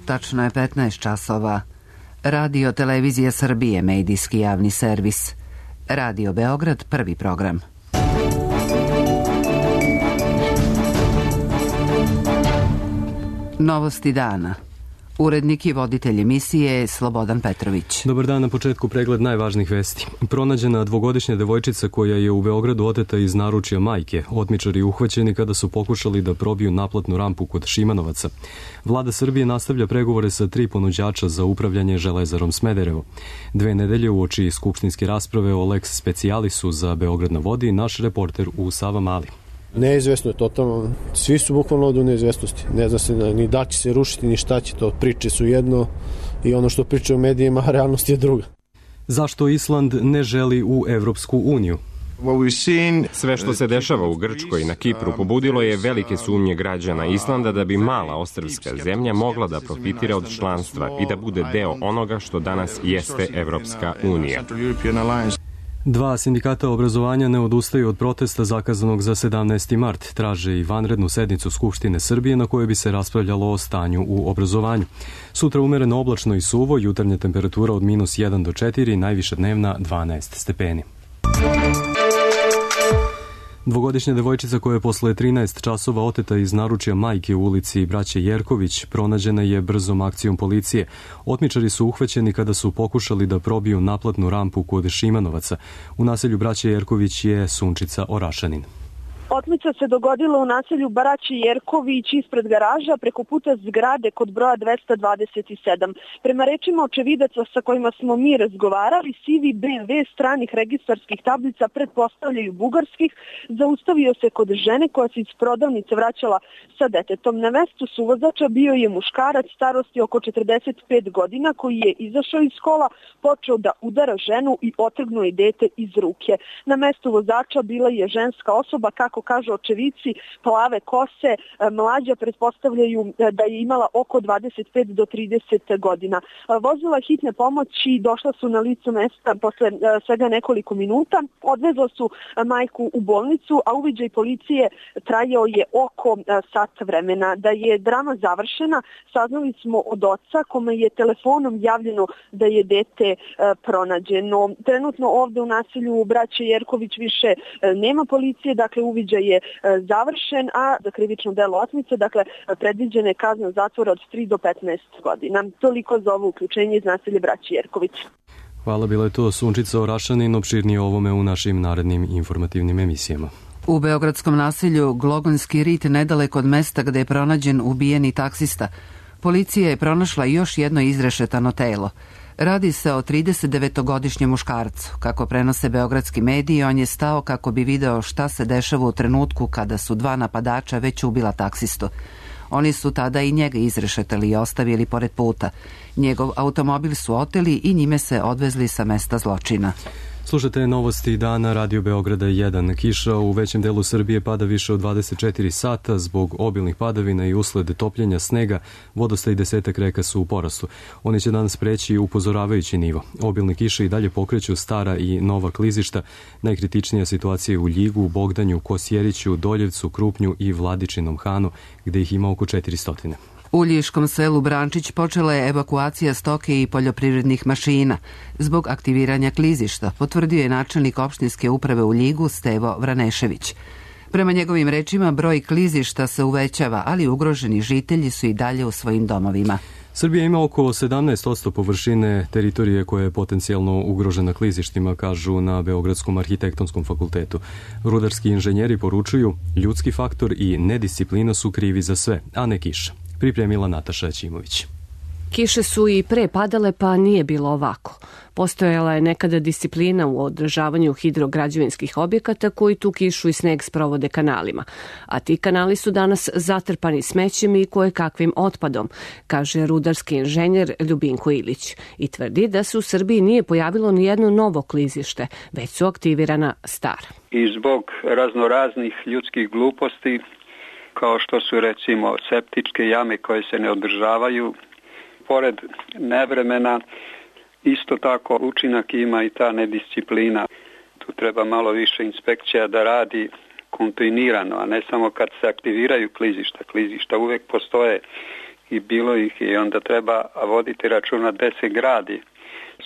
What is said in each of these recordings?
tačno je 15 časova. Radio Televizija Srbije, medijski javni servis. Radio Beograd, prvi program. Novosti dana. Urednik i voditelj emisije Slobodan Petrović. Dobar dan, na početku pregled najvažnijih vesti. Pronađena dvogodišnja devojčica koja je u Beogradu oteta iz naručja majke. Otmičari uhvaćeni kada su pokušali da probiju naplatnu rampu kod Šimanovaca. Vlada Srbije nastavlja pregovore sa 3 ponuđača za upravljanje Železarom Smederevo. 2 nedelje uoči skupštinske rasprave o lex specialisu za Beograd na vodi, naš reporter u Savamali. Neizvesno je totalno, svi su bukvalno ovdje u neizvesnosti. Ne zna se ni da će se rušiti, ni šta će to. Priče su jedno i ono što pričaju u medijima, a realnost je druga. Zašto Island ne želi u Evropsku uniju? Sve što se dešava u Grčkoj i na Kipru pobudilo je velike sumnje građana Islanda da bi mala ostrvska zemlja mogla da profitira od članstva i da bude deo onoga što danas jeste Evropska unija. 2 sindikata obrazovanja ne odustaju od protesta zakazanog za 17. mart. Traže i vanrednu sednicu Skupštine Srbije na kojoj bi se raspravljalo o stanju u obrazovanju. Sutra umereno oblačno i suvo, jutarnja temperatura od -1 do 4, najviša dnevna 12 stepeni. Dvogodišnja devojčica koja je posle 13 časova oteta iz naručja majke u ulici Braće Jerković pronađena je brzom akcijom policije. Otmičari su uhvaćeni kada su pokušali da probiju naplatnu rampu kod Šimanovaca. U naselju Braće Jerković je Sunčica Orašanin. Otmica se dogodila u naselju Braće Jerković ispred garaža preko puta zgrade kod broja 227. Prema rečima očevidaca sa kojima smo mi razgovarali, sivi BMW stranih registarskih tablica pretpostavljaju bugarskih, zaustavio se kod žene koja se iz prodavnice vraćala sa detetom. Na mestu suvozača bio je muškarac starosti oko 45 godina koji je izašao iz kola, počeo da udara ženu i otrgnuo je dete iz ruke. Na mestu vozača bila je ženska osoba, kako kažu očevici, plave kose, mlađa pretpostavljaju da je imala oko 25 do 30 godina. Vozila hitne pomoći došla su na lice mesta posle svega nekoliko minuta, odvezla su majku u bolnicu, a uviđaj policije trajao je oko sat vremena. Da je drama završena, saznali smo od oca kome je telefonom javljeno da je dete pronađeno. Trenutno ovde u naselju Braće Jerković više nema policije, dakle uviđaj je završen, a za krivično delo otmice, dakle, predviđena je kazna zatvora od 3 do 15 godina. Toliko za ovo uključenje iz naselja Braće Jerković. Hvala, bila je to Sunčica Orašanin, opširnije o ovome u našim narednim informativnim emisijama. U beogradskom naselju Glogonski rit, nedaleko od mesta gde je pronađen ubijeni taksista, policija je pronašla još jedno izrešetano telo. Radi se o 39-godišnjem muškarcu. Kako prenose beogradski mediji, on je stao kako bi video šta se dešava u trenutku kada su 2 napadača već ubila taksistu. Oni su tada i njega izrešetali i ostavili pored puta. Njegov automobil su oteli i njime se odvezli sa mesta zločina. Slušate novosti dana Radio Beograda 1. Kiša u većem delu Srbije pada više od 24 sata zbog obilnih padavina i usled topljenja snega. Vodostaj 10 reka su u porastu. Oni će danas preći upozoravajući nivo. Obilne kiše i dalje pokreću stara i nova klizišta. Najkritičnija situacija je u Ljigu, Bogdanju, Kosjeriću, Doljevcu, Krupnju i Vladičinom Hanu, gde ih ima oko 400. U Ljiškom selu Brančić počela je evakuacija stoke i poljoprivrednih mašina zbog aktiviranja klizišta, potvrdio je načelnik opštinske uprave u Ljigu Stevo Vranešević. Prema njegovim rečima, broj klizišta se uvećava, ali ugroženi žitelji su i dalje u svojim domovima. Srbija ima oko 17% površine teritorije koja je potencijalno ugrožena klizištima, kažu na Beogradskom arhitektonskom fakultetu. Rudarski inženjeri poručuju, ljudski faktor i nedisciplina su krivi za sve, a ne kiša. Pripremila Nataša Ćimović. Kiše su i pre padale, pa nije bilo ovako. Postojala je nekada disciplina u održavanju hidrograđevinskih objekata koji tu kišu i sneg sprovode kanalima. A ti kanali su danas zatrpani smećem i kojekakvim otpadom, kaže rudarski inženjer Ljubinko Ilić. I tvrdi da se u Srbiji nije pojavilo ni jedno novo klizište, već su aktivirana stara. I zbog raznoraznih ljudskih gluposti, kao što su recimo septičke jame koje se ne održavaju, pored nevremena, isto tako učinak ima i ta nedisciplina. Tu treba malo više inspekcija da radi kontinuirano, a ne samo kad se aktiviraju klizišta. Klizišta uvek postoje i bilo ih i onda treba voditi računa gde se gradi.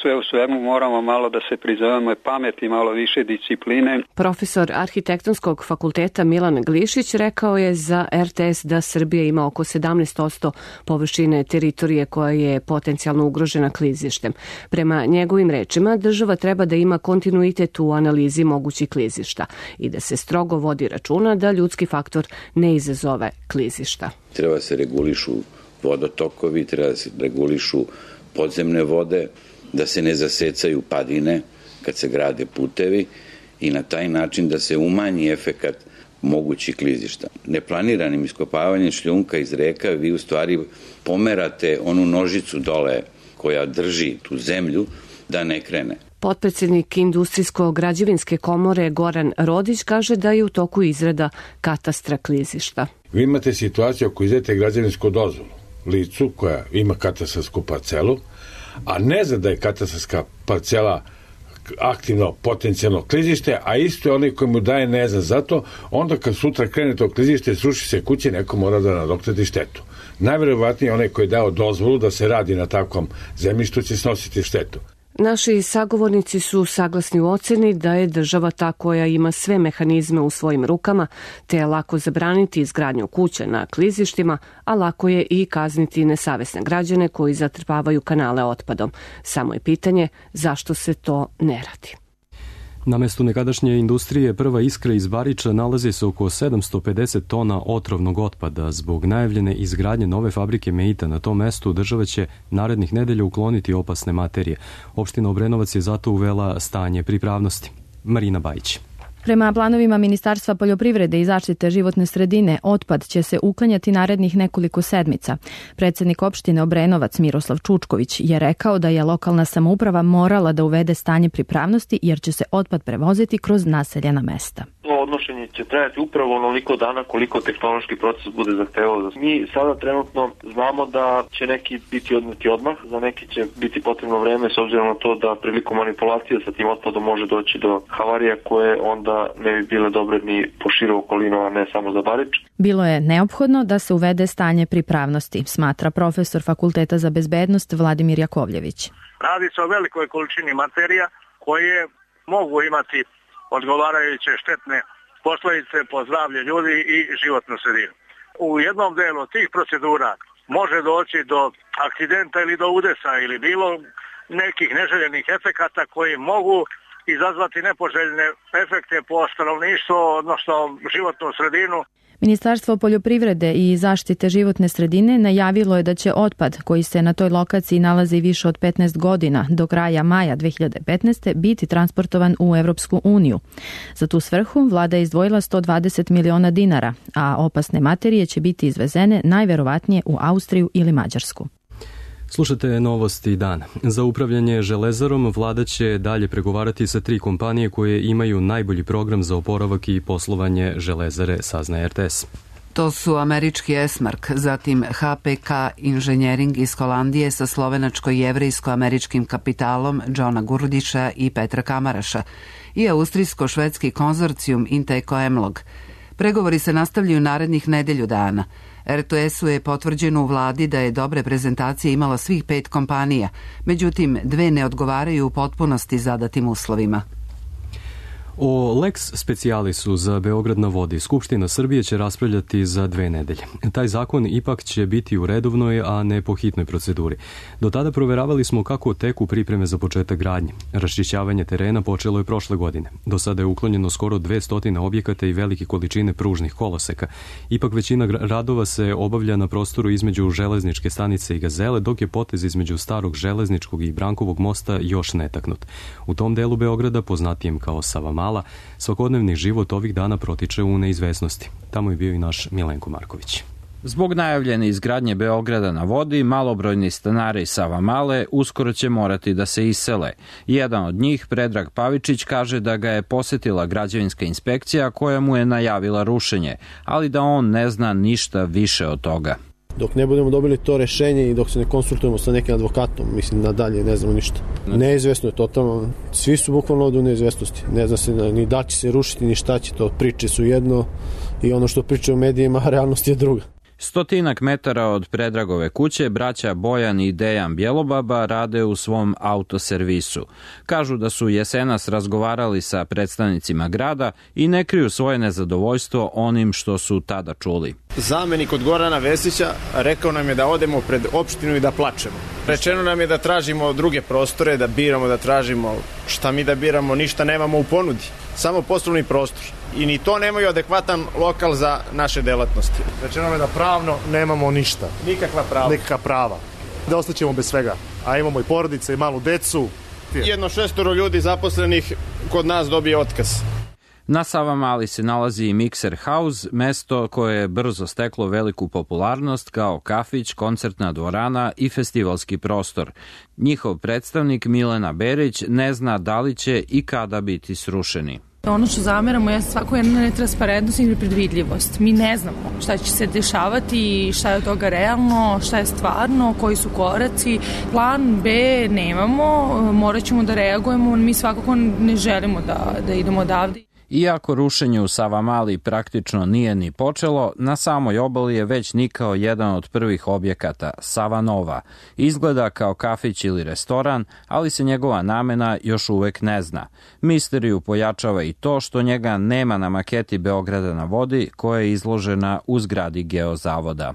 Sve u svemu moramo malo da se prizovemo i pameti, malo više discipline. Profesor Arhitektonskog fakulteta Milan Glišić rekao je za RTS da Srbija ima oko 17% površine teritorije koja je potencijalno ugrožena klizištem. Prema njegovim rečima, država treba da ima kontinuitet u analizi mogućih klizišta i da se strogo vodi računa da ljudski faktor ne izazove klizišta. Treba se regulišu vodotokovi, treba se regulišu podzemne vode, da se ne zasecaju padine kad se grade putevi i na taj način da se umanji efekat mogućih klizišta. Neplaniranim iskopavanjem šljunka iz reka vi u stvari pomerate onu nožicu dole koja drži tu zemlju da ne krene. Potpredsjednik Industrijsko-građevinske komore Goran Rodić kaže da je u toku izrada katastra klizišta. Vi imate situaciju ako izdajete građevinsku dozvolu licu koja ima katastarsku parcelu, a ne zna da je katastarska parcela aktivno potencijalno klizište, a isto je onaj koji mu daje ne zna zato, onda kad sutra krene to klizište, sruši se kuće, neko mora da nadoknadi štetu. Najverovatnije onaj koji je dao dozvolu da se radi na takvom zemljištu će snositi štetu. Naši sagovornici su saglasni u oceni da je država ta koja ima sve mehanizme u svojim rukama, te je lako zabraniti izgradnju kuća na klizištima, a lako je i kazniti nesavesne građane koji zatrpavaju kanale otpadom. Samo je pitanje zašto se to ne radi. Na mestu nekadašnje industrije Prva Iskra iz Bariča nalazi se oko 750 tona otrovnog otpada. Zbog najavljene izgradnje nove fabrike Meita na tom mestu država će narednih nedelja ukloniti opasne materije. Opština Obrenovac je zato uvela stanje pripravnosti. Marina Bajić. Prema planovima Ministarstva poljoprivrede i zaštite životne sredine, otpad će se uklanjati narednih nekoliko sedmica. Predsednik opštine Obrenovac Miroslav Čučković je rekao da je lokalna samouprava morala da uvede stanje pripravnosti jer će se otpad prevoziti kroz naseljena mesta. Odnošenje će trajati upravo onoliko dana koliko tehnološki proces bude zahtevao. Mi sada trenutno znamo da će neki biti odneti odmah, za neki će biti potrebno vreme s obzirom na to da prilikom manipulacije sa tim otpadom može doći do havarija koje onda ne bi bile dobre ni po širu okolinu, a ne samo za Barič. Bilo je neophodno da se uvede stanje pripravnosti, smatra profesor Fakulteta za bezbednost Vladimir Jakovljević. Radi se o velikoj količini materija koje mogu imati odgovarajuće štetne posledice po zdravlje ljudi i životnu sredinu. U jednom delu tih procedura može doći do akcidenta ili do udesa ili bilo nekih neželjenih efekata koji mogu izazvati nepoželjne efekte po stanovništvo, odnosno životnu sredinu. Ministarstvo poljoprivrede i zaštite životne sredine najavilo je da će otpad koji se na toj lokaciji nalazi više od 15 godina do kraja maja 2015. biti transportovan u Evropsku uniju. Za tu svrhu vlada je izdvojila 120 miliona dinara, a opasne materije će biti izvezene najverovatnije u Austriju ili Mađarsku. Slušate novosti dana. Za upravljanje železarom vlada će dalje pregovarati sa 3 kompanije koje imaju najbolji program za oporavak i poslovanje železare, saznaje RTS. To su američki Esmark, zatim HPK Inženjering iz Holandije sa slovenačko-jevrejsko-američkim kapitalom Johna Gurdića i Petra Kamaraša i austrijsko-švedski konzorcijum Inteko Emlog. Pregovori se nastavljaju narednih nedelju dana. RTS-u je potvrđeno u vladi da je dobre prezentacije imala svih 5 kompanija, međutim 2 ne odgovaraju u potpunosti zadatim uslovima. O lex specialisu za Beograd na vodi Skupština Srbije će raspravljati za 2 nedelje. Taj zakon ipak će biti u redovnoj, a ne po hitnoj proceduri. Do tada proveravali smo kako teku pripreme za početak gradnje. Raščišćavanje terena počelo je prošle godine. Do sada je uklonjeno skoro 200 objekata i velike količine pružnih koloseka. Ipak većina radova se obavlja na prostoru između železničke stanice i Gazele, dok je potez između starog železničkog i Brankovog mosta još netaknut. U tom delu Beograda, poznatijem kao Savamala, svakodnevni život ovih dana protiče u neizvesnosti. Tamo je bio i naš Milenko Marković. Zbog najavljene izgradnje Beograda na vodi, malobrojni stanari iz Savamale uskoro će morati da se isele. Jedan od njih, Predrag Pavičić, kaže da ga je posetila građevinska inspekcija koja mu je najavila rušenje, ali da on ne zna ništa više od toga. Dok ne budemo dobili to rešenje i dok se ne konsultujemo sa nekim advokatom, mislim nadalje ne znamo ništa. Neizvesno je totalno, svi su bukvalno ovdje u neizvesnosti. Ne zna se ni da će se rušiti, ni šta će to. Priče su jedno i ono što pričaju u medijima, realnost je druga. 100 metara od Predragove kuće braća Bojan i Dejan Bjelobaba rade u svom autoservisu. Kažu da su jesenas razgovarali sa predstavnicima grada i ne kriju svoje nezadovoljstvo onim što su tada čuli. Zamenik od Gorana Vesića rekao nam je da odemo pred opštinu i da plačemo. Rečeno nam je da tražimo druge prostore, da biramo, da tražimo. Šta mi da biramo, ništa nemamo u ponudi. Samo poslovni prostor. I ni to nemaju adekvatan lokal za naše delatnosti. Rečeno nam je da pravno nemamo ništa. Nikakva prava. Da ostaćemo bez svega. A imamo i porodice i malu decu. Jedno 6 ljudi zaposlenih kod nas dobije otkaz. Na Savamali se nalazi i Mixer House, mesto koje je brzo steklo veliku popularnost kao kafić, koncertna dvorana i festivalski prostor. Njihov predstavnik Milena Berić ne zna da li će i kada biti srušeni. Ono što zameramo je svako jedna netransparentnost i nepredvidljivost. Mi ne znamo šta će se dešavati, šta je od toga realno, šta je stvarno, koji su koraci. Plan B nemamo, morat ćemo da reagujemo, mi svakako ne želimo da idemo odavde. Iako rušenje u Savamali praktično nije ni počelo, na samoj obali je već nikao jedan od prvih objekata, Savanova. Izgleda kao kafić ili restoran, ali se njegova namena još uvek ne zna. Misteriju pojačava i to što njega nema na maketi Beograda na vodi, koja je izložena u zgradi Geozavoda.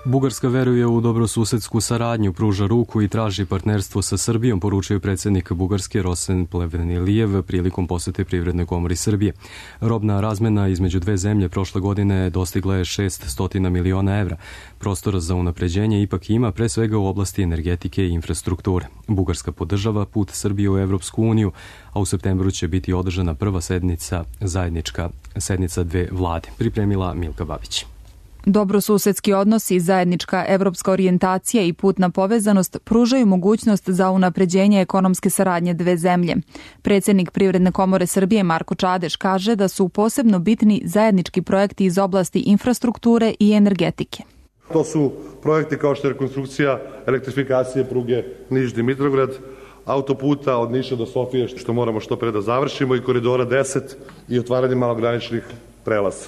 Bugarska veruje u dobrosusedsku saradnju, pruža ruku i traži partnerstvo sa Srbijom, poručio predsjednik Bugarske Rosen Plevnelijev prilikom posete Privrednoj komori Srbije. Robna razmena između dve zemlje prošle godine dostigla je 600 miliona evra. Prostora za unapređenje ipak ima, pre svega u oblasti energetike i infrastrukture. Bugarska podržava put Srbije u Evropsku uniju, a u septembru će biti održana prva zajednička sednica dve vlade. Pripremila Milka Babić. Dobrosusedski odnosi, zajednička evropska orijentacija i putna povezanost pružaju mogućnost za unapređenje ekonomske saradnje dve zemlje. Predsjednik Privredne komore Srbije Marko Čadeš kaže da su posebno bitni zajednički projekti iz oblasti infrastrukture i energetike. To su projekti kao što je rekonstrukcija elektrifikacije pruge Niš-Dimitrovgrad, autoputa od Niša do Sofije, što moramo što pre da završimo, i koridora 10 i otvaranje malograničnih prelaza.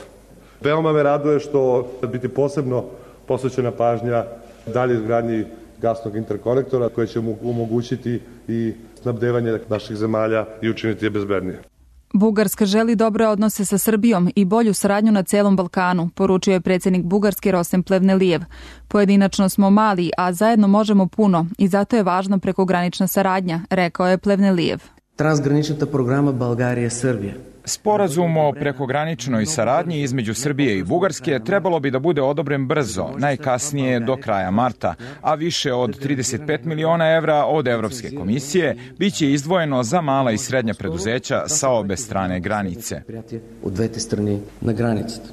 Veoma me raduje što biti posebno posvećena pažnja dalje izgradnji gasnog interkonektora koji će omogućiti i snabdevanje naših zemalja i učiniti je bezbednije. Bugarska želi dobre odnose sa Srbijom i bolju saradnju na celom Balkanu, poručio je predsjednik Bugarske Rosen Plevnelijev. Pojedinačno smo mali, a zajedno možemo puno i zato je važna prekogranična saradnja, rekao je Plevnelijev. Transgranična programa Balgarija-Srbija. Sporazum o prekograničnoj saradnji između Srbije i Bugarske trebalo bi da bude odobren brzo, najkasnije do kraja marta, a više od 35 miliona evra od Evropske komisije biće izdvojeno za mala i srednja preduzeća sa obe strane granice. U dvete strane na granicата.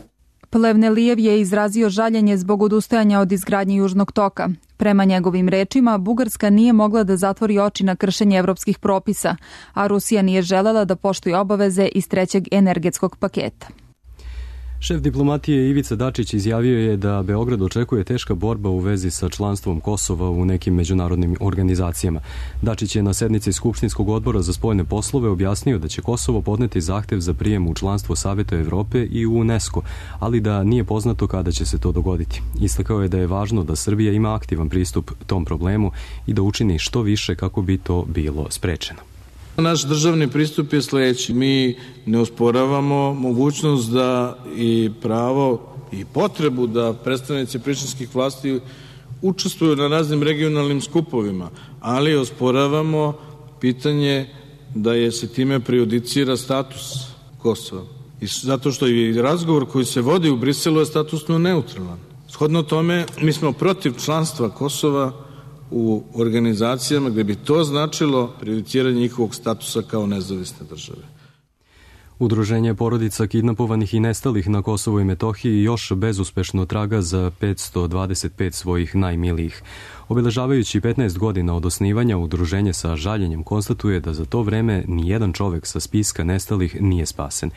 Plevnelijev je izrazio žaljenje zbog odustajanja od izgradnje Južnog toka. Prema njegovim rečima, Bugarska nije mogla da zatvori oči na kršenje evropskih propisa, a Rusija nije želela da poštuje obaveze iz trećeg energetskog paketa. Šef diplomatije Ivica Dačić izjavio je da Beograd očekuje teška borba u vezi sa članstvom Kosova u nekim međunarodnim organizacijama. Dačić je na sednici Skupštinskog odbora za spoljne poslove objasnio da će Kosovo podneti zahtev za prijem u članstvo Saveta Evrope i u UNESCO, ali da nije poznato kada će se to dogoditi. Istakao je da je važno da Srbija ima aktivan pristup tom problemu i da učini što više kako bi to bilo sprečeno. Naš državni pristup je sledeći. Mi ne osporavamo mogućnost da i pravo i potrebu da predstavnici prištinskih vlasti učestvuju na raznim regionalnim skupovima, ali osporavamo pitanje da je se time prejudicira status Kosova. I zato što i razgovor koji se vodi u Briselu je statusno neutralan. Shodno tome, mi smo protiv članstva Kosova u organizacijama gde bi to značilo prejudiciranje njihovog statusa kao nezavisne države. Udruženje porodica kidnapovanih i nestalih na Kosovu i Metohiji još bezuspešno traga za 525 svojih najmilijih. Obeležavajući 15 godina od osnivanja, udruženje sa žaljenjem konstatuje da za to vreme nijedan čovek sa spiska nestalih nije spasen.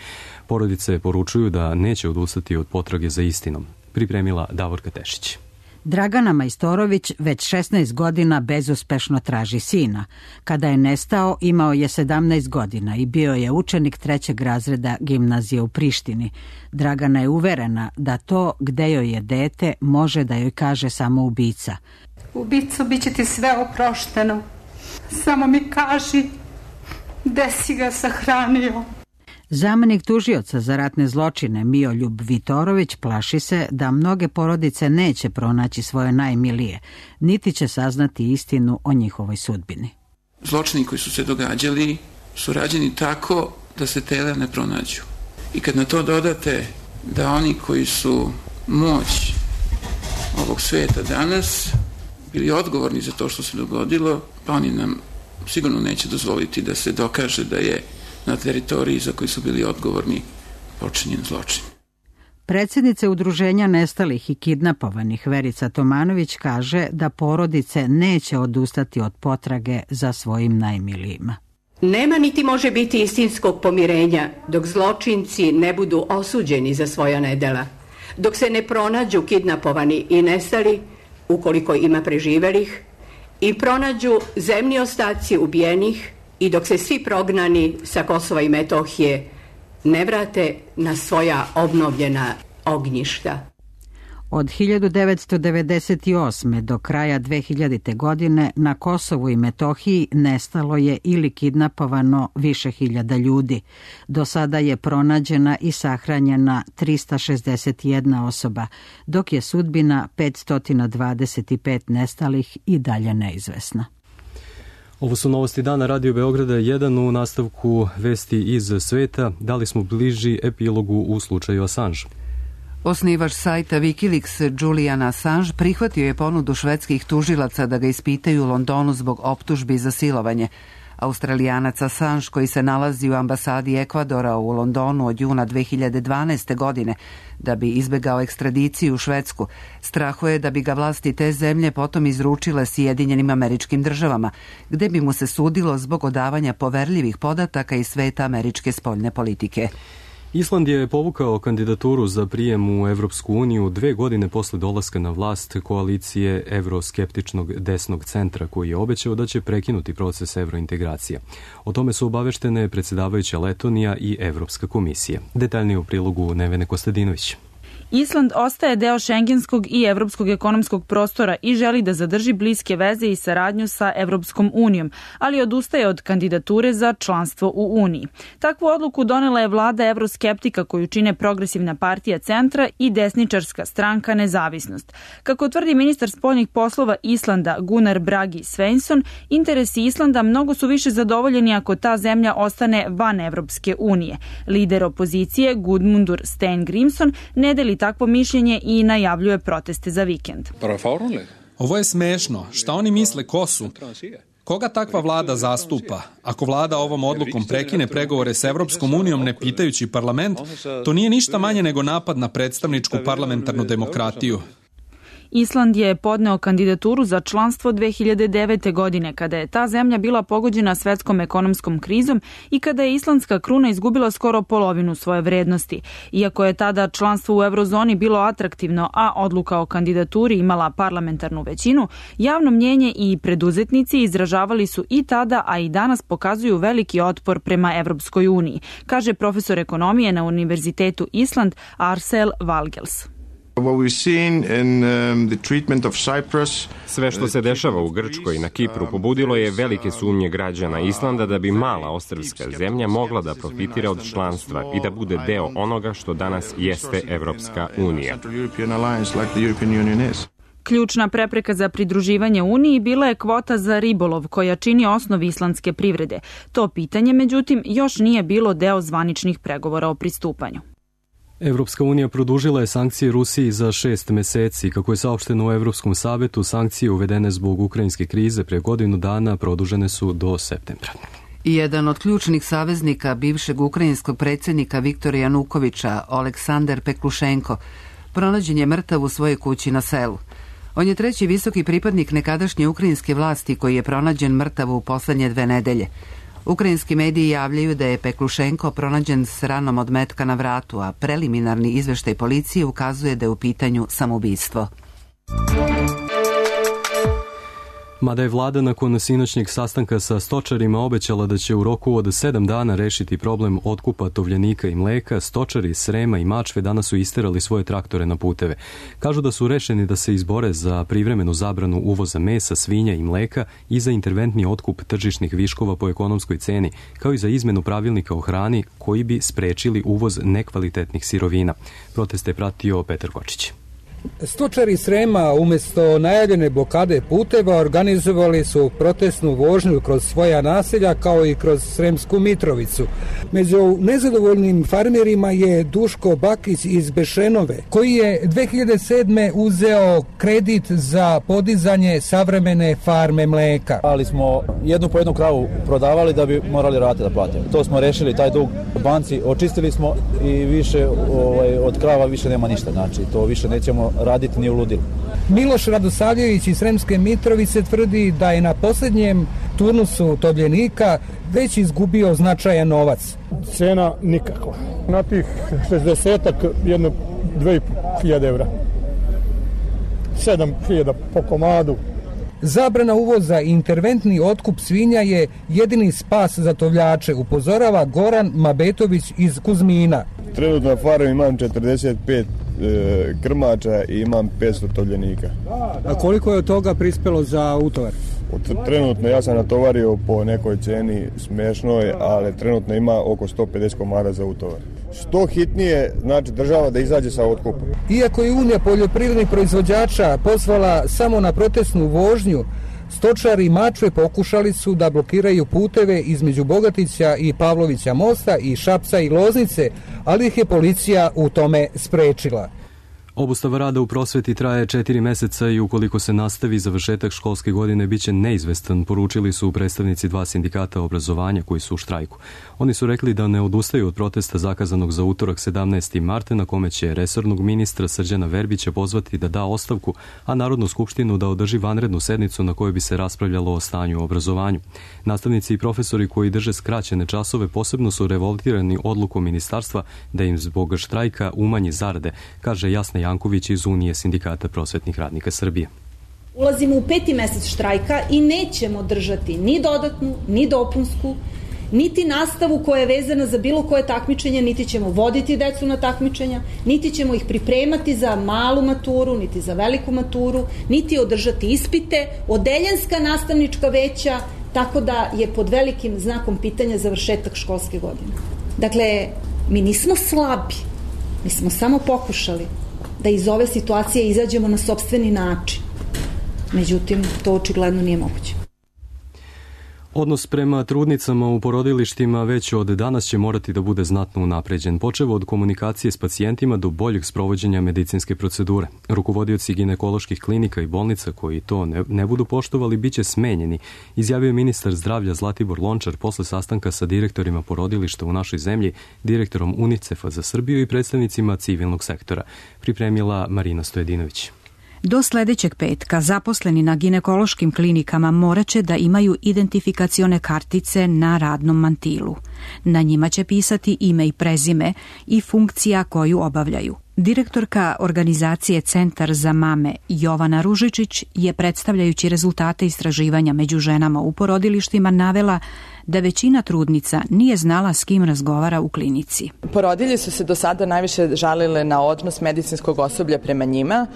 Porodice poručuju da neće odustati od potrage za istinom. Pripremila Davorka Tešić. Dragana Majstorović već 16 godina bezuspešno traži sina. Kada je nestao, imao je 17 godina i bio je učenik 3. razreda gimnazije u Prištini. Dragana je uverena da to gde joj je dete može da joj kaže samo ubica. Ubico, bit će ti sve oprošteno. Samo mi kaži gde si ga sahranio. Zamenik tužioca za ratne zločine Mioljub Vitorović plaši se da mnoge porodice neće pronaći svoje najmilije, niti će saznati istinu o njihovoj sudbini. Zločini koji su se događali su rađeni tako da se tela ne pronađu. I kad na to dodate da oni koji su moć ovog sveta danas bili odgovorni za to što se dogodilo, pa oni nam sigurno neće dozvoliti da se dokaže da je na teritoriji za koji su bili odgovorni počinjen zločin. Predsjednica Udruženja nestalih i kidnapovanih Verica Tomanović kaže da porodice neće odustati od potrage za svojim najmilijima. Nema niti može biti istinskog pomirenja dok zločinci ne budu osuđeni za svoja nedela, dok se ne pronađu kidnapovani i nestali, ukoliko ima preživelih, i pronađu zemni ostaci ubijenih, i dok se svi prognani sa Kosova i Metohije ne vrate na svoja obnovljena ognjišta. Od 1998. do kraja 2000. godine na Kosovu i Metohiji nestalo je ili kidnapovano više hiljada ljudi. Do sada je pronađena i sahranjena 361 osoba, dok je sudbina 525 nestalih i dalje neizvesna. Ovo su novosti dana Radio Beograda 1 u nastavku vesti iz sveta. Da li smo bliži epilogu u slučaju Assange? Osnivač sajta Wikileaks Julian Assange prihvatio je ponudu švedskih tužilaca da ga ispitaju u Londonu zbog optužbi za silovanje. Australijanac Assange, koji se nalazi u ambasadi Ekvadora u Londonu od juna 2012. godine da bi izbegao ekstradiciju u Švedsku, strahuje da bi ga vlasti te zemlje potom izručile Sjedinjenim Američkim Državama, gde bi mu se sudilo zbog odavanja poverljivih podataka iz sveta američke spoljne politike. Island je povukao kandidaturu za prijem u Evropsku uniju 2 godine posle dolaska na vlast koalicije evroskeptičnog desnog centra, koji je obećao da će prekinuti proces evrointegracije. O tome su obaveštene predsjedavajuća Letonija i Evropska komisija. Detaljnije u prilogu Nevene Kostadinović. Island ostaje deo šengenskog i evropskog ekonomskog prostora i želi da zadrži bliske veze i saradnju sa Evropskom unijom, ali odustaje od kandidature za članstvo u Uniji. Takvu odluku donela je vlada evroskeptika koju čine Progresivna partija centra i desničarska stranka Nezavisnost. Kako tvrdi ministar spoljnih poslova Islanda Gunnar Bragi Svensson, interesi Islanda mnogo su više zadovoljeni ako ta zemlja ostane van Evropske unije. Lider opozicije Gudmundur Steingrimsson ne deli takvo mišljenje i najavljuje proteste za vikend. Ovo je smešno. Šta oni misle ko su? Koga takva vlada zastupa? Ako vlada ovom odlukom prekine pregovore s Evropskom unijom ne pitajući parlament, to nije ništa manje nego napad na predstavničku parlamentarnu demokratiju. Island je podneo kandidaturu za članstvo 2009. godine, kada je ta zemlja bila pogođena svetskom ekonomskom krizom i kada je islandska kruna izgubila skoro polovinu svoje vrednosti. Iako je tada članstvo u eurozoni bilo atraktivno, a odluka o kandidaturi imala parlamentarnu većinu, javno mnjenje i preduzetnici izražavali su i tada, a i danas pokazuju veliki otpor prema Evropskoj uniji, kaže profesor ekonomije na Univerzitetu Island Arsel Valgels. Sve što se dešava u Grčkoj i na Kipru pobudilo je velike sumnje građana Islanda da bi mala ostrvska zemlja mogla da profitira od članstva i da bude deo onoga što danas jeste Evropska unija. Ključna prepreka za pridruživanje Uniji bila je kvota za ribolov, koja čini osnov islandske privrede. To pitanje, međutim, još nije bilo deo zvaničnih pregovora o pristupanju. Evropska unija produžila je sankcije Rusiji za 6 meseci. Kako je saopšteno u Evropskom savetu, sankcije uvedene zbog ukrajinske krize pre godinu dana produžene su do septembra. Jedan od ključnih saveznika bivšeg ukrajinskog predsjednika Viktora Janukovića, Oleksandar Peklušenko, pronađen je mrtav u svojoj kući na selu. On je treći visoki pripadnik nekadašnje ukrajinske vlasti koji je pronađen mrtav u poslednje 2 nedelje. Ukrajinski mediji javljaju da je Peklušenko pronađen s ranom od metka na vratu, a preliminarni izveštaj policije ukazuje da je u pitanju samoubistvo. Mada je vlada nakon sinoćnjeg sastanka sa stočarima obećala da će u roku od 7 dana rešiti problem otkupa tovljenika i mleka, stočari iz Srema i Mačve danas su isterali svoje traktore na puteve. Kažu da su rešeni da se izbore za privremenu zabranu uvoza mesa, svinja i mleka i za interventni otkup tržišnih viškova po ekonomskoj ceni, kao i za izmenu pravilnika o hrani koji bi sprečili uvoz nekvalitetnih sirovina. Proteste je pratio Petar Kočić. Stočari Srema umjesto najavljene blokade puteva organizovali su protestnu vožnju kroz svoja naselja kao i kroz Sremsku Mitrovicu. Među nezadovoljnim farmerima je Duško Bakić iz Bešenove, koji je 2007. uzeo kredit za podizanje savremene farme mleka. Ali smo jednu po jednu kravu prodavali da bi morali rate da platimo. To smo rešili, taj dug banci, očistili smo i više od krava više nema ništa, znači to više nećemo raditi ni u ludilu. Miloš Radosavljević iz Sremske Mitrovice tvrdi da je na posljednjem turnusu tovljenika već izgubio značajan novac. Cena nikakva. Na tih 60-ak jedno 2.500 evra. 7.000 po komadu. Zabrana uvoza i interventni otkup svinja je jedini spas za tovljače, upozorava Goran Mabetović iz Kuzmina. Trenutno na farmi imam 45 krmača i imam 500 tovljenika. A koliko je od toga prispelo za utovar? Trenutno ja sam natovario po nekoj ceni smešnoj, ali trenutno ima oko 150 komada za utovar. Što hitnije, znači država da izađe sa otkupom. Iako je Unija poljoprivrednih proizvođača pozvala samo na protestnu vožnju, stočari Mačve pokušali su da blokiraju puteve između Bogatića i Pavlovića mosta i Šapca i Loznice, ali ih je policija u tome sprečila. Obustava rada u prosveti traje 4 meseca i ukoliko se nastavi, završetak školske godine biće neizvestan, poručili su predstavnici 2 sindikata obrazovanja koji su u štrajku. Oni su rekli da ne odustaju od protesta zakazanog za utorak 17. marta, na kome će resornog ministra Srđana Verbića pozvati da da ostavku, a Narodnu skupštinu da održi vanrednu sednicu na kojoj bi se raspravljalo o stanju u obrazovanju. Nastavnici i profesori koji drže skraćene časove posebno su revoltirani odlukom ministarstva da im zbog štrajka umanji zarade, kaže Jasna Janković iz Unije sindikata prosvetnih radnika Srbije. Ulazimo u 5. mesec štrajka i nećemo držati ni dodatnu, ni dopunsku, niti nastavu koja je vezana za bilo koje takmičenje, niti ćemo voditi decu na takmičenja, niti ćemo ih pripremati za malu maturu, niti za veliku maturu, niti održati ispite, odeljenska nastavnička veća, tako da je pod velikim znakom pitanja završetak školske godine. Dakle, mi nismo slabi, mi smo samo pokušali da iz ove situacije izađemo na sopstveni način. Međutim, to očigledno nije moguće. Odnos prema trudnicama u porodilištima već od danas će morati da bude znatno unapređen, počev od komunikacije s pacijentima do boljeg sprovođenja medicinske procedure. Rukovodioci ginekoloških klinika i bolnica koji to ne budu poštovali biće smenjeni, izjavio ministar zdravlja Zlatibor Lončar posle sastanka sa direktorima porodilišta u našoj zemlji, direktorom UNICEF-a za Srbiju i predstavnicima civilnog sektora, pripremila Marina Stojedinović. Do sledećeg petka zaposleni na ginekološkim klinikama moraće da imaju identifikacione kartice na radnom mantilu. Na njima će pisati ime i prezime i funkcija koju obavljaju. Direktorka organizacije Centar za mame Jovana Ružičić je, predstavljajući rezultate istraživanja među ženama u porodilištima, navela da većina trudnica nije znala s kim razgovara u klinici. Porodilje su se do sada najviše žalile na odnos medicinskog osoblja prema njima,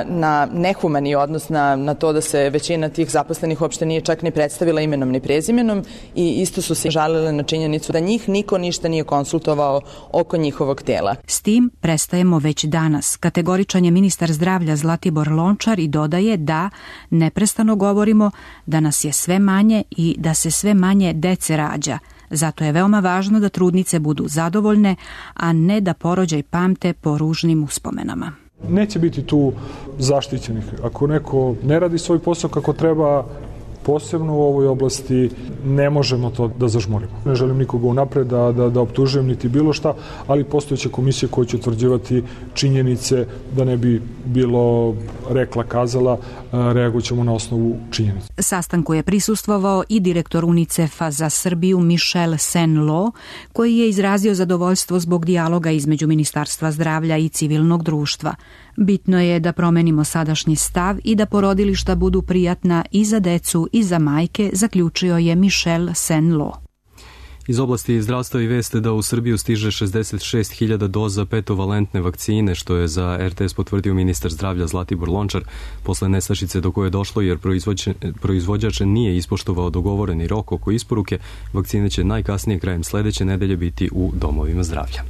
na nehumani odnos, na to da se većina tih zaposlenih uopšte nije čak ni predstavila imenom ni prezimenom i isto su se žalile na činjenicu da njih niko ništa nije konsultovao oko njihovog tela. S tim prestajemo već danas, kategoričan je ministar zdravlja Zlatibor Lončar i dodaje da neprestano govorimo da nas je sve manje i da se sve manje dece rađa. Zato je veoma važno da trudnice budu zadovoljne, a ne da porođaj pamte po ružnim uspomenama. Neće biti tu zaštićenih. Ako neko ne radi svoj posao kako treba, posebno u ovoj oblasti ne možemo to da zažmurimo. Ne želim nikoga unapred da optužujem niti bilo šta, ali postojeća komisija koja će utvrđivati činjenice da ne bi bilo rekla, kazala, reagoćemo na osnovu činjenica. Sastanku je prisustvovao i direktor UNICEF-a za Srbiju Michel Sen-Lo, koji je izrazio zadovoljstvo zbog dijaloga između Ministarstva zdravlja i civilnog društva. Bitno je da promenimo sadašnji stav i da porodilišta budu prijatna i za decu i za majke, zaključio je Michel Sen-Lo. Iz oblasti zdravstva i veste da u Srbiju stiže 66.000 doza petovalentne vakcine, što je za RTS potvrdio ministar zdravlja Zlatibor Lončar, posle nestašice do koje je došlo jer proizvođač nije ispoštovao dogovoreni rok oko isporuke. Vakcine će najkasnije krajem sledeće nedelje biti u domovima zdravlja.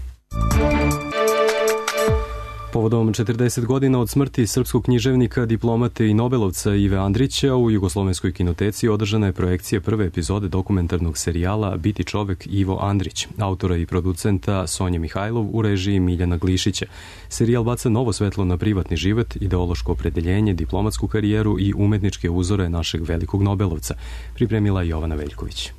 Povodom 40 godina od smrti srpskog književnika, diplomate i nobelovca Ive Andrića u Jugoslovenskoj kinoteci održana je projekcija prve epizode dokumentarnog serijala Biti čovek Ivo Andrić, autora i producenta Sonje Mihajlov u režiji Miljana Glišića. Serijal baca novo svetlo na privatni život, ideološko opredeljenje, diplomatsku karijeru i umetničke uzore našeg velikog nobelovca, pripremila Jovana Veljković.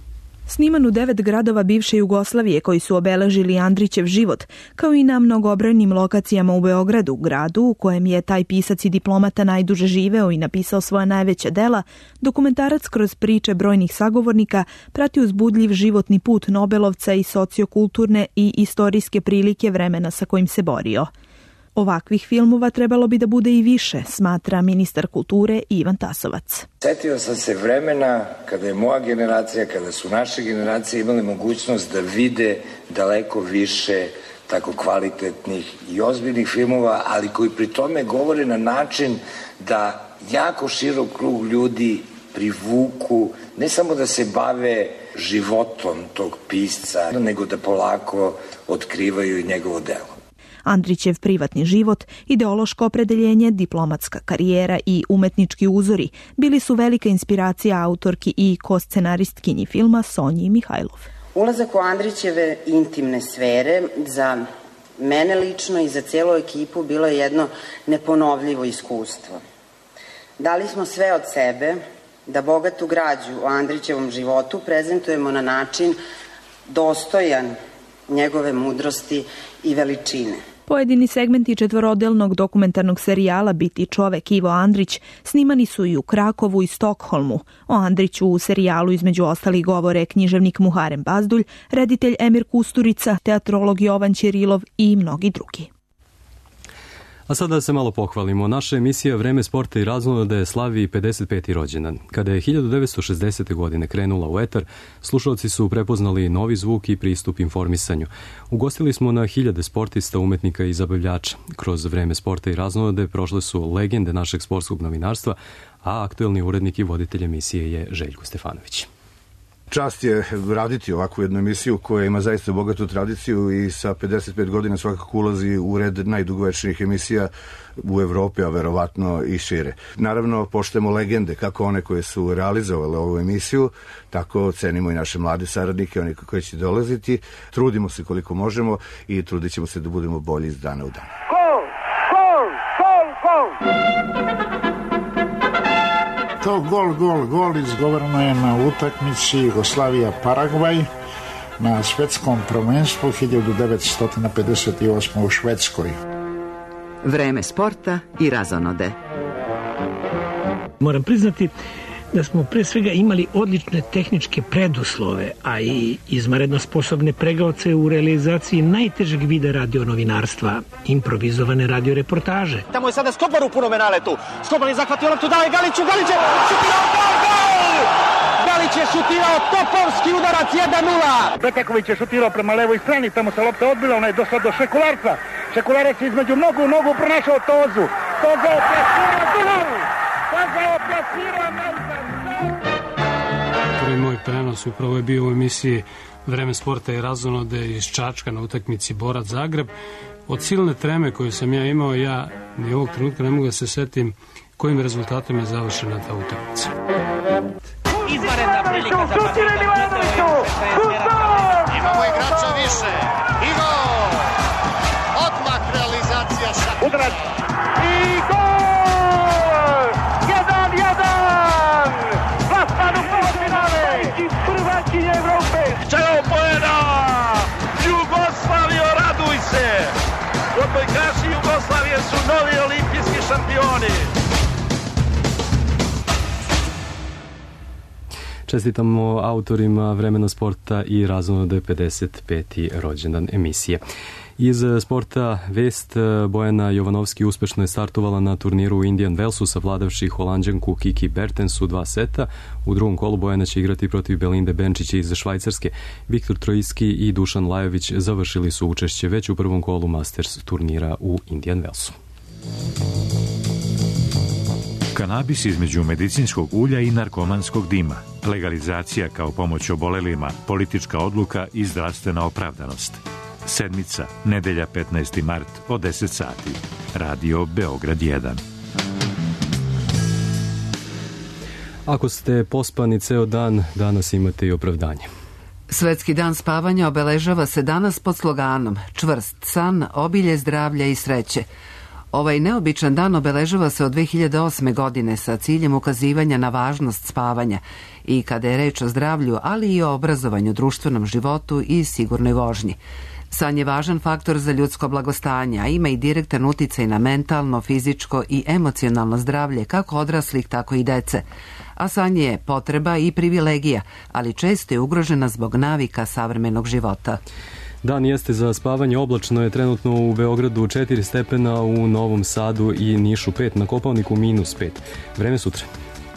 Sniman u 9 gradova bivše Jugoslavije koji su obeležili Andrićev život, kao i na mnogobrojnim lokacijama u Beogradu, gradu u kojem je taj pisac i diplomata najduže živeo i napisao svoja najveća dela, dokumentarac kroz priče brojnih sagovornika prati uzbudljiv životni put nobelovca i sociokulturne i istorijske prilike vremena sa kojim se borio. Ovakvih filmova trebalo bi da bude i više, smatra ministar kulture Ivan Tasovac. Setio sam se vremena kada je moja generacija, kada su naše generacije imali mogućnost da vide daleko više tako kvalitetnih i ozbiljnih filmova, ali koji pri tome govore na način da jako širok krug ljudi privuku, ne samo da se bave životom tog pisca, nego da polako otkrivaju i njegovo delo. Andrićev privatni život, ideološko opredeljenje, diplomatska karijera i umetnički uzori bili su velika inspiracija autorki i ko-scenaristkinji filma Sonji Mihajlov. Ulazak u Andrićeve intimne sfere za mene lično i za cijelu ekipu bilo je jedno neponovljivo iskustvo. Dali smo sve od sebe da bogatu građu o Andrićevom životu prezentujemo na način dostojan njegove mudrosti i veličine. Pojedini segmenti četvorodelnog dokumentarnog serijala Biti čovek Ivo Andrić snimani su i u Krakovu i Stokholmu. O Andriću u serijalu između ostalih govore književnik Muharem Bazdulj, reditelj Emir Kusturica, teatrolog Jovan Ćirilov i mnogi drugi. A sada da se malo pohvalimo. Naša emisija Vreme sporta i raznolade slavi 55. rođendan. Kada je 1960. godine krenula u etar, slušalci su prepoznali novi zvuk i pristup informisanju. Ugostili smo na hiljade sportista, umetnika i zabavljača. Kroz Vreme sporta i raznolade prošle su legende našeg sportskog novinarstva, a aktuelni urednik i voditelj emisije je Željko Stefanović. Čast je raditi ovakvu jednu emisiju koja ima zaista bogatu tradiciju i sa 55 godina svakako ulazi u red najdugovečnijih emisija u Evropi, a verovatno i šire. Naravno, poštujemo legende, kako one koje su realizovale ovu emisiju, tako cenimo i naše mlade saradnike, oni koji će dolaziti. Trudimo se koliko možemo i trudit ćemo se da budemo bolji iz dana u dan. Gol! Gol! Gol! Gol! To gol izgovoreno je na utakmici Jugoslavija-Paragvaj na svetskom prvenstvu 1958. u Švedskoj. Vreme sporta i razonode. Moram priznati da smo pre svega imali odlične tehničke preduslove, a i izvanredno sposobne pregaoce u realizaciji najtežeg vida radionovinarstva, improvizovane radioreportaže. Tamo je sada Skobar u punom naletu. Skobar je zahvatio loptu, daje Galiću, Galić je šutirao, gol! Galić je šutirao topovski udarac 1-0. Betaković je šutirao prema levoj strani, tamo se lopta odbila, ona je došla do Šekularca. Šekularac je između nogu pronašao Tozu. Toza je plasirao najzad. Prvi moj prenos upravo je bio u emisiji Vreme sporta i razonode iz Čačka na utakmici Borac Zagreb. Od silne treme koju sam ja imao, ja ni ovog trenutka ne mogu da se setim kojim rezultatom je završena ta utakmica. Izvanredna prilika za Partizan. Imamo igrača više. I gol! Odmah realizacija Šapića. Udarac i gol! 1-1! Vlasta Odbojkaši Jugoslavije su novi olimpijski šampioni. Čestitamo autorima Vremena sporta i Razonode 55. rođendan emisije. Iz sporta vest, Bojana Jovanovski uspešno je startovala na turniru u Indian Wellsu savladavši Holanđanku Kiki Bertens u 2 seta. U drugom kolu Bojana će igrati protiv Belinde Benčića iz Švajcarske. Viktor Trojski i Dušan Lajović završili su učešće već u prvom kolu Masters turnira u Indian Wellsu. Kanabis između medicinskog ulja i narkomanskog dima. Legalizacija kao pomoć obolelima, politička odluka i zdravstvena opravdanost. Sedmica, nedelja 15. mart od 10 sati. Radio Beograd 1. Ako ste pospani ceo dan, danas imate i opravdanje. Svetski dan spavanja obeležava se danas pod sloganom Čvrst san, obilje zdravlja i sreće. Ovaj neobičan dan obeležava se od 2008. godine sa ciljem ukazivanja na važnost spavanja i kada je reč o zdravlju, ali i o obrazovanju, društvenom životu i sigurnoj vožnji. San je važan faktor za ljudsko blagostanje, a ima i direktan uticaj na mentalno, fizičko i emocionalno zdravlje kako odraslih, tako i dece. A san je potreba i privilegija, ali često je ugrožena zbog navika savremenog života. Dan jeste za spavanje, oblačno je trenutno u Beogradu 4 stepena, u Novom Sadu i Nišu 5, na Kopaoniku -5. Vreme sutra.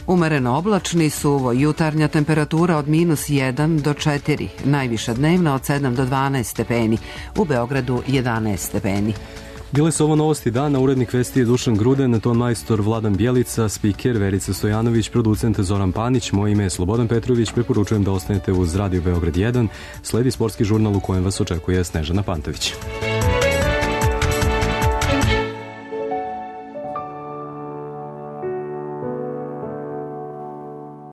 Umereno oblačni, suvo, jutarnja temperatura od -1 do 4, najviša dnevna od 7 do 12 stepeni, u Beogradu 11 stepeni. Bile su ovo novosti dana, urednik vesti je Dušan Gruden, ton majstor Vladan Bjelica, spiker Verica Stojanović, producent Zoran Panić, moje ime je Slobodan Petrović, preporučujem da ostanete uz Radio Beograd 1, sledi sportski žurnal u kojem vas očekuje Snežana Pantović.